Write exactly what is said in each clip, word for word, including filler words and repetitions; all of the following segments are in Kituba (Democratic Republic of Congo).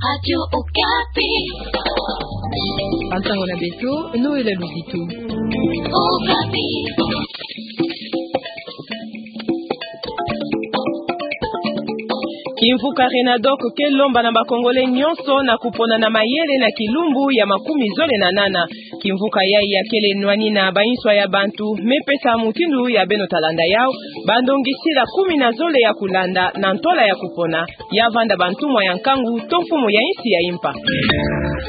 Radio Okapi. Bantango na beto, Noël Luzitu. Okapi. Kimvuka Renadoc ke lomba na ba Congolais nyonso na kupona na mayele na kilumbu ya makumi zole na nana. Kimvuka yayi ya kele nwani na ba inswa ya bantu, me pesa mutindu ya beno ta landa yau, ba ndongisila kumi na zole ya kulanda na ntwala ya kupona, ya vanda ba ntumwa ya nkangu to mfumu ya insi ya impa.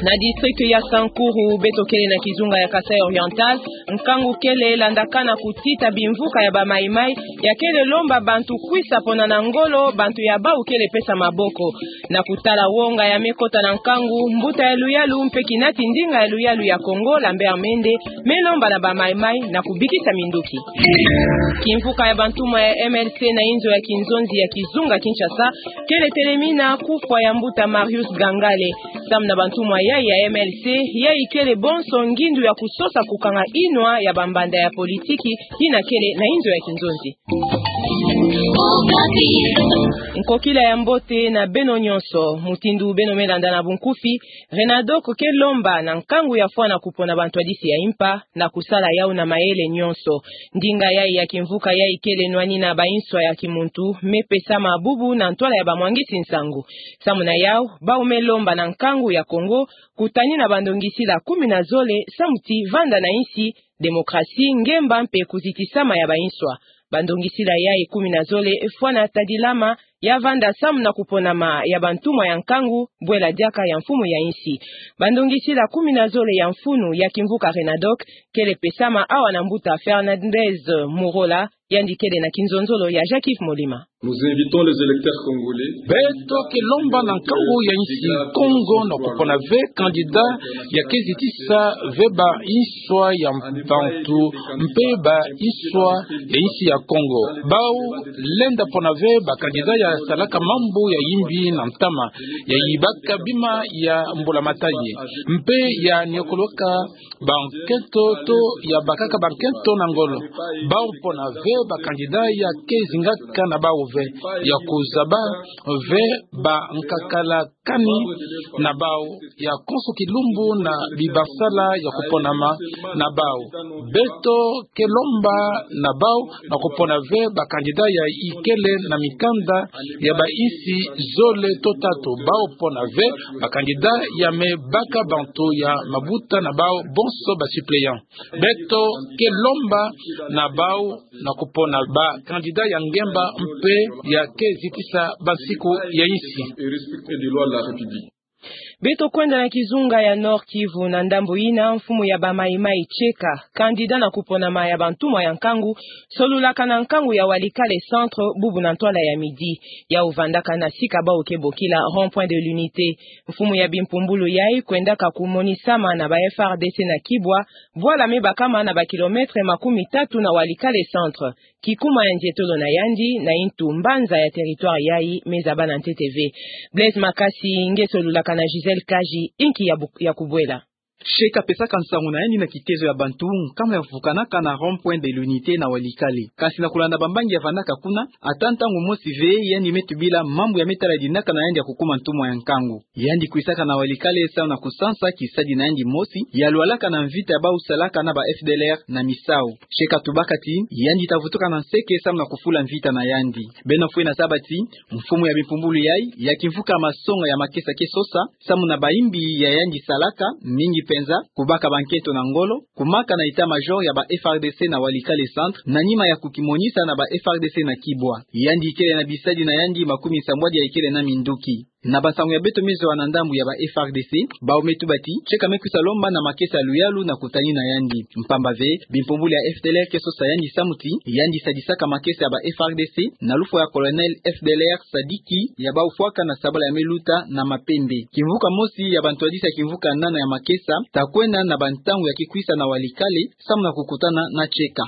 Na district ya Sankuru, beto kele na kizunga ya Kasaï Oriental, nkangu kele landakana kutita bimvuka ya ba Maï-Maï, ya kele lomba bantu kwisa pona na ngolo, bantu ya bau kele pesa maboko. Na kutala wonga ya me kota na nkangu, mbuta ya luyalu mpe kinati ndinga ya luyalu ya Kongo, Lambert Mende, me lomba na ba Maï-Maï na kubikisa minduki. Kimvuka ya ba ntumwa ya M L C na inzo ya kinzonzi ya kizunga Kinshasa, kele telemina kufwa ya mbuta Marius Gangale. Samu na ba ntumwa yayi ya M L C, yayi kele bonso ngindu ya kusosa kukanga inwa ya ba mbanda ya politiki, yina kele na inzo ya kinzonzi. Nkokila ya mbote na beno nyonso, mutindu beno me landa na bunkufi, Renadoc ke lomba na nkangu ya fwana kupona bantwadisi ya impa, na kusala yau na mayele nyonso. Ndinga yayi ya kimvuka yayi kele nwani na ba inswa ya kimuntu, me pesa mabubu na ntwala ya ba mwangisi nsangu. Samu na yau, bau me lomba na nkangu ya Kongo, kutani na ba ndongisila kumi na zole, samu ti vanda na insi, demokrasi, ngemba mpe kuzitisama ya ba inswa. Ba ndongisila yayi kumi na zole fwana tadilama, ya vanda samu na kuponama ya ba ntumwa ya nkangu, bwela diaka ya mfumu ya insi. Ba ndongisila kumi na zole ya mfunu ya kimvuka Renadoc, kele pesama awa na mbuta Fernandez Murola, yandi kele na kinzonzolo ya Jacques Molima. Nous invitons les électeurs congolais. Beto ke lomba na nkangu ya insi Kongo na kupona ve candidat ya ke zitisa ve ba inswa ya bantu mpe ba inswa ya insi ya Kongo. Bau lenda pona ve ba candidat ya salaka mambu ya imbi na ntama, ya yibaka bima ya mbulamatadi, mpe ya niokoloka ba nkento to ya bakaka ba nkento na ngolo. Bau pona ve ba candidat ya ke zingaka na bau ve, ya kuzaba ve ba nkakala kani na bau, ya konso kilumbu na bibasala ya kuponama na bau. Beto ke lomba na bau na kupona ve ba candidat ya ikele na mikanda ya ba insi zole to tatu. Bau pona ve ba candidat ya me baka bantu ya mabuta na bau bonso ba suppléant. Beto ke lomba na bau na kupona ba candidat ya ngemba mpe ya ke zitisa ba nsiku ya insi. Beto kwenda na kizunga ya Nord-Kivu, na ndambu yina mfumu ya ba Maï-Maï Tcheka, candidat na kuponama ya ba ntumwa ya nkangu, solulaka na nkangu ya Walikale Centre bubu na ntwala ya midi. Yau vandaka na sika bau ke bokila Rond-Point de l'Unité. Mfumu ya bimpumbulu yayi kwendaka kumonisama na ba F R D C na Kibwa, bwala me bakama na ba kilomètre makumi tatu na Walikale Centre. Kikuma ya ndietolo na yandi na intu mbanza ya territoire yayi me zaba na ntete ve. Blaise Makasi nge solulaka na Gisèle Kaji, inki ya bu-, ya kubwela. Tcheka pesaka nsangu na yandi na kitezo ya bantu nkama ya vukanaka na Rond-Point de l'Unité na Walikale. Kasi na kulanda bambangi ya vandaka kuna, ata ntangu mosi ve yandi me tubila mambu ya me tala dinaka na yandi ya kukuma ntumwa ya nkangu. Yandi kwisaka na Walikale samu na kusansa kisadi na yandi mosi, ya lwalaka na mvita ya bau salaka na ba F D L R na misau. Tcheka tubaka ti yandi ta vutuka na nseke samu na kufula mvita na yandi. Beno fwe na zaba ti mfumu ya bimpumbulu yayi ya kimvuka masonga ya makesa ke sosa samu na ba imbi ya yandi salaka, mingi penza kubaka ba nkento na ngolo, kumaka na état-major ya ba F R D C na Walikale Centre, na nima ya kukimonisa na ba F R D C na Kibwa. Yandi ikele na bisadi na yandi makumi nsambwadi ya ikele na minduki. Na bansangu ya beto me zwa na ndambu ya ba F R D C, bau me tuba ti Tcheka me kwisa lomba na makesa ya luyalu na kutani na yandi. Mpamba ve, bimpumbulu ya F D L R ke sosa yandi samu ti yandi sadisaka makesa ya ba F R D C na lufwa ya colonel F D L R Sadiki ya bau fwaka na sabala ya me luta na Mapembe. Kimvuka mosi ya bantwadisi ya kimvuka nana ya makesa ta kwenda na bantangu ya kikwisa na Walikale samu na kukutana na Tcheka.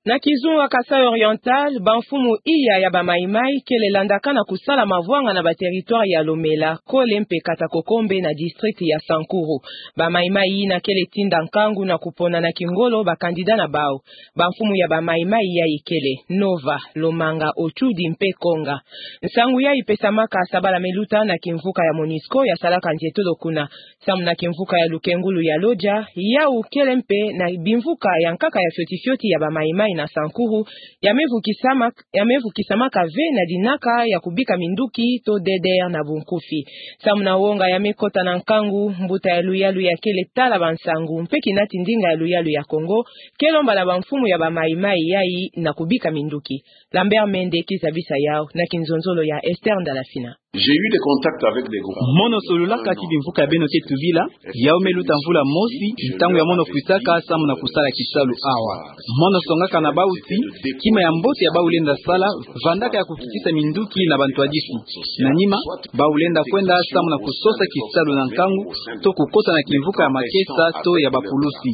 Na kizunga Kasaï Oriental, bamfumu iya ya ba Maï-Maï kele landaka na kusala mavwanga na ba territoire ya Lomela, Kole mpe Kata-Kokombe na district ya Sankuru. Ba Maï-Maï ina kele tinda nkangu na kupona na kingolo ba candidat na bau. Bamfumu ya ba Maï-Maï yayi kele Nova, Lomanga, Otchoudi mpe Konga. Nsangu yayi ipesamaka sabala meluta na kimvuka ya Monusco ya salaka nzietolo kuna. Samu na kimvuka ya lukengulu ya Lodja, yau kele mpe na bimvuka ya nkaka ya fioti-fioti ya ba Maï-Maï na Sankuru, ya me vukisamak-, ya me vukisamaka ve na dinaka ya kubika minduki to D D R na bunkufi. Samu na wonga ya me kota na nkangu, mbuta ya luyalu ya kele tala bansangu mpe kinati ndinga ya luyalu ya Kongo ke lomba na bamfumu ya ba Maï-Maï yayi na kubika minduki. Lambert Mende kizabisa yau na kinzonzolo ya Esther Ndalafina. J'ai eu des contacts avec des groupes. Mono solulaka ti bimvuka ya beno ke tubila, yau me luta mvula mosi, ntangu ya mono kwisaka samu na kusala kisalu awa. Mono songaka na bau ti, kima ya mbote ya bau lenda sala, vandaka ya kukitisa minduki na bantwadisi. Na nima, bau lenda kwenda samu na kusosa kisalu na nkangu, to kukota na kimvuka ya makesa to ya bapulusi.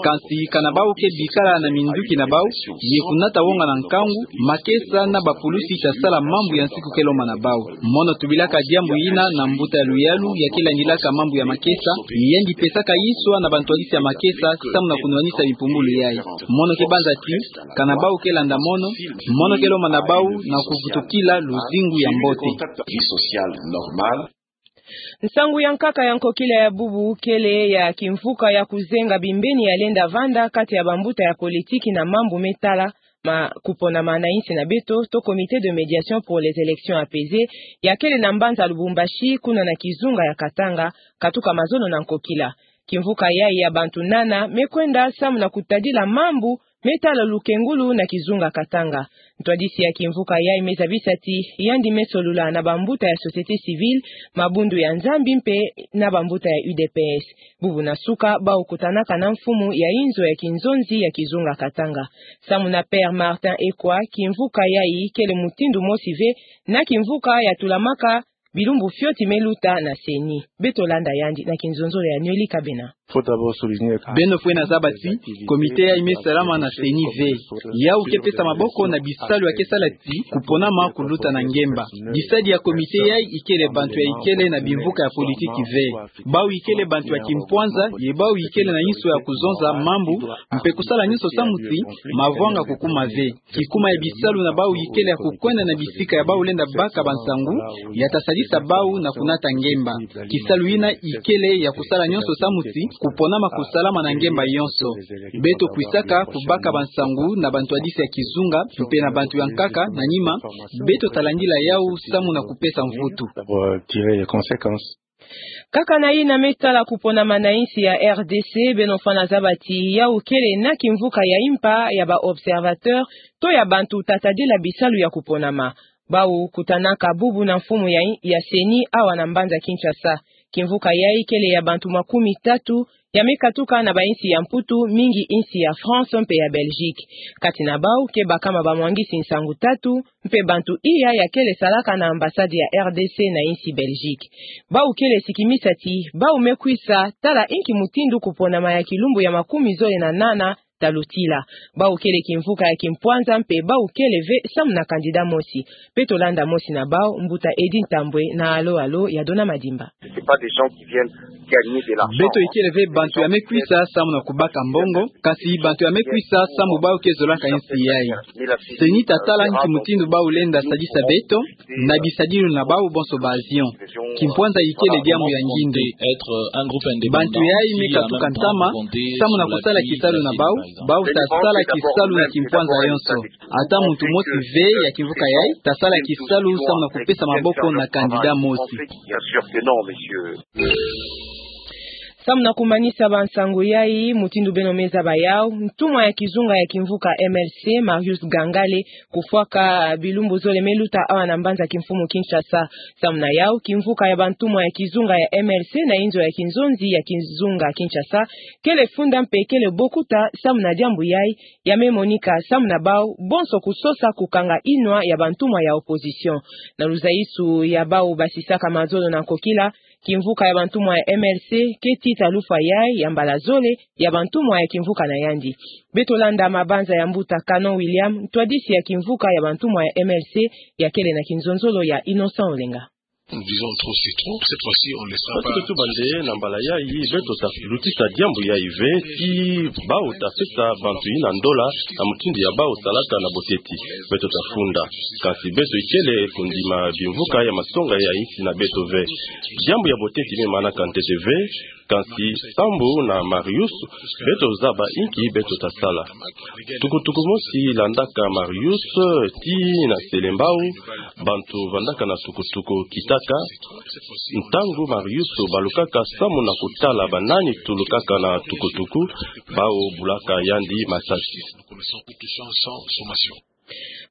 Kansi kana bau ke bikala na minduki na bau, ye kunata wonga na nkangu, makesa na bapulusi ta sala mambu ya nsiku ke lomba na bau. Mono tubilaka diambu ina na mbuta ya luyalu ya ke landilaka mambu ya makesa, yandi pesaka iswa na bantwadisi ya makesa, samu na kunwanisa bimpumbulu yayi. Mono ke banza ti, kana bau ke landa mono, mono ke lomba na bau na kuvutukila luzingu ya mbote. Vie sociale normale. Nsangu ya nkaka ya nkokila ya bubu kele ya kimvuka ya kuzenga bimbeni ya lenda vanda kati ya bambuta ya politiki na mambu me tala ma kuponama na insi na beto, to Comité de médiation pour les élections apaisées, ya kele na mbanza Lubumbashi, kuna na kizunga ya Katanga, katuka mazono na nkokila. Kimvuka yayi ya bantu nana me kwenda samu na kutadila mambu me tala lukengulu na kizunga Katanga. Ntwadisi ya kimvuka yayi me zabisa ti, yandi me solula na bambuta ya société civile, mabundu ya Nzambi mpe na bambuta ya U D P S. Bubu na suka, bau kutanaka na mfumu ya inzo ya kinzonzi ya kizunga Katanga. Samu na Père Martin Ekwa, kimvuka yayi kele mutindu mosi ve na kimvuka ya tulamaka bilumbu fioti me luta na CENI. Beto landa yandi na kinzonzolo ya Noël Kabena. Faut d'abord souligner que beno fwene zaba ti, comité yayi me salama na CENI ve. Yau ke pesa maboko na bisalu ya ke sala ti kuponama kuluta na ngemba. Bisadi ya comité yayi ikele bantu ya ikele na bimvuka ya politiki ve. Bau ikele bantu ya kimpwanza, ye bau ikele na inso ya kuzonza mambu, mpe kusala nyonso samu ti mavwanga kukuma ve. Kikuma ya bisalu na bau ikele ya kukwenda na bisika ya bau lenda baka bansangu, ya ta sadisa bau na kunata ngemba. Kisalu ina ikele ya kusala nyonso samu ti kuponama kusalama na ngemba yonso. Beto kwisaka kubaka bansangu na bantwadisi ya kizunga, mpe na bantu ya nkaka, na nima, beto ta landila yau samu na kupesa mvutu. Pour tirer les conséquences. Kaka na ina me tala kuponama na insi ya R D C, beno fwene zaba ti yau kele na kimvuka ya impa ya ba observateur, to ya bantu ta tadila bisalu ya kuponama. Bau kutanaka bubu na mfumu ya, ya CENI awa na mbanza Kinshasa. Kimvuka yayi kele ya bantu makumi tatu, ya me katuka na bainsi ya Mputu, mingi insi ya France mpe ya Belgique. Kati na bau ke bakama bamwangisi nsangu tatu, mpe bantu iya ya kele salaka na ambassade ya R D C na insi Belgique. Bau kele sikimisa ti bau me kwisa tala inki mutindu kuponama ya kilumbu ya makumi zole na nana ta lutila. Bau kele kimvuka ya kimpwanza mpe bau kele ve samu na candidat mosi. Beto landa mosi na bau, mbuta Eddy Ntambwe na Alo Alo ya Dona Madimba. C'est pas des gens qui viennent gagner de l'argent. Beto ikele ve bantu ya me kwisa samu na kubaka mbongo, kasi bantu ya me kwisa samu bau ke zolaka insi yayi. CENI ta tala inki mutindu bau lenda sadisa beto, na bisadilu na bau bonso ba avion. Kimpwanza ikele diambu ya ngindo. Bantu yayi me katuka ntama samu na kusala kisalu na bau, bau ta sala kisalu na kimpwanza yonso. Ata muntu mosi ve ya kimvuka yayi ta sala kisalu samu na kupesa maboko na candidat mosi. Bien sûr que non, monsieur. Samu na kumanisa bansangu yayi, mutindu beno me zaba yau, ntumwa ya kizunga ya kimvuka M L C, Marius Gangale, kufwaka bilumbu zole me luta awa na mbanza kimfumu Kinshasa. Samu na yau, kimvuka ya bantumwa ya kizunga ya M L C na inzo ya kinzonzi ya kizunga Kinshasa kele funda mpe kele bokuta samu na diambu yayi, ya me monika samu na bau bonso kusosa kukanga inwa ya bantumwa ya opposition. Na luzaisu ya bau basisaka mazolo na nkokila, Kimvuka ya bantumwa ya M L C keti ta lufwa yai ya mbala zole ya bantumwa ya kimvuka na yandi. Beto landa mabanza ya mbuta Canon William, ntwadisi ya kimvuka ya bantumwa ya M L C, ya kele na kinzonzolo ya Innocent Olenga. Nous disons trop, c'est trop. Cette fois-ci, on ne laissera pas. Oti tuba nde na mbala yai beto ta lutisa diambu yai ve, ti bawu ta sesa bantu yina ndola na mutindu ya bawu salaka na boteti. Beto ta funda. Kasi beto ikele kundima bimvuka ya masonga ya insi na beto ve. Diambu ya boteti me manaka ntete ve, kasi Sambu na Marius, beto zaba inki beto ta sala. Tukutuku mosi landaka Marius ti na Selembao, bantu vandaka na tukutuku kitaka. Ntangu Marius balukaka samu na kutala banani tulukaka na tukutuku, bawu bulaka yandi masasi.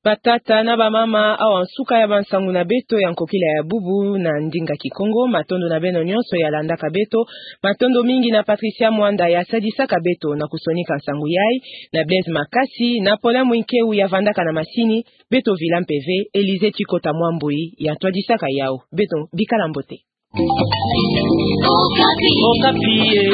Batata na bamama, awa nsuka ya bansangu na beto ya nkokila ya bubu na ndinga Kikongo. Matondo na beno nyonso ya landaka beto. Matondo mingi na Patricia Mwanda ya sadisaka beto na kusonika nsangu yai, na Blaise Makasi, na Paulin Mwinkeu ya vandaka na masini. Beto vila mpe ve Elise Chikota Mwambui ya ntwadisaka yawu. Beto bikala mbote. Okapi. Okapi, eh.